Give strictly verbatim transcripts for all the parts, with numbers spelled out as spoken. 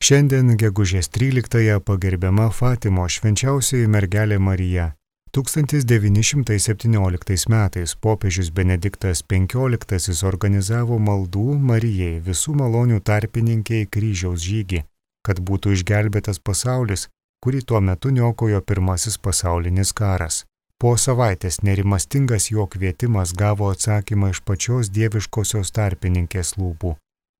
Šiandien gegužės tryliktąją pagerbiama Fatimo švenčiausioji mergelė Marija. tūkstantis devyni šimtai septynioliktais metais popiežius Benediktas penkioliktasis organizavo maldų Marijai visų malonių tarpininkiai kryžiaus žygį, kad būtų išgelbėtas pasaulis, kurį tuo metu niokojo pirmasis pasaulinis karas. Po savaitės nerimastingas jo kvietimas gavo atsakymą iš pačios dieviškosios tarpininkės lūpų.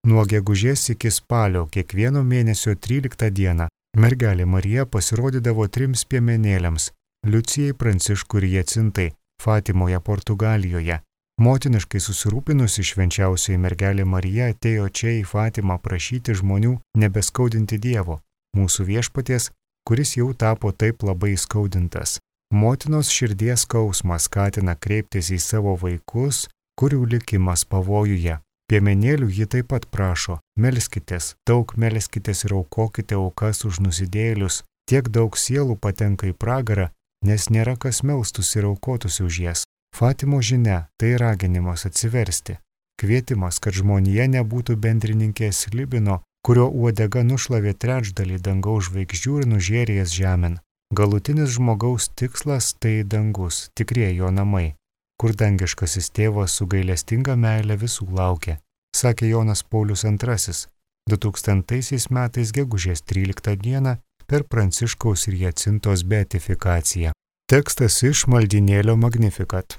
Nuo gegužės iki spalio kiekvieno mėnesio tryliktą dieną mergelė Marija pasirodydavo trims piemenėliams – Liucijai, Pranciškui ir Jacintai, Fatimoje, Portugalijoje. Motiniškai susirūpinusi švenčiausioji mergelė Marija atėjo čia į Fatimą prašyti žmonių nebeskaudinti Dievo, mūsų viešpaties, kuris jau tapo taip labai skaudintas. Motinos širdies skausmas skatina kreiptis į savo vaikus, kurių likimas pavojuje. Piemenėlių ji taip pat prašo, melskitės, daug melskitės ir aukokite aukas už nusidėjėlius, tiek daug sielų patenka į pragarą, nes nėra kas melstųsi ir aukotųsi už jas. Fatimo žinia – tai raginimas atsiversti, kvietimas, kad žmonija nebūtų bendrininkės slibino, kurio uodega nušlavė trečdalį dangaus žvaigždžių ir nužėrė jas žemėn. Galutinis žmogaus tikslas – tai dangus, tikrieji jo namai, kur dangiškasis tėvas su gailestinga meile visų laukia, sakė Jonas Paulius antrasis, du tūkstantaisiais metais gegužės tryliktą dieną per Pranciškaus ir Jacintos beatifikaciją. Tekstas iš maldynėlio Magnificat.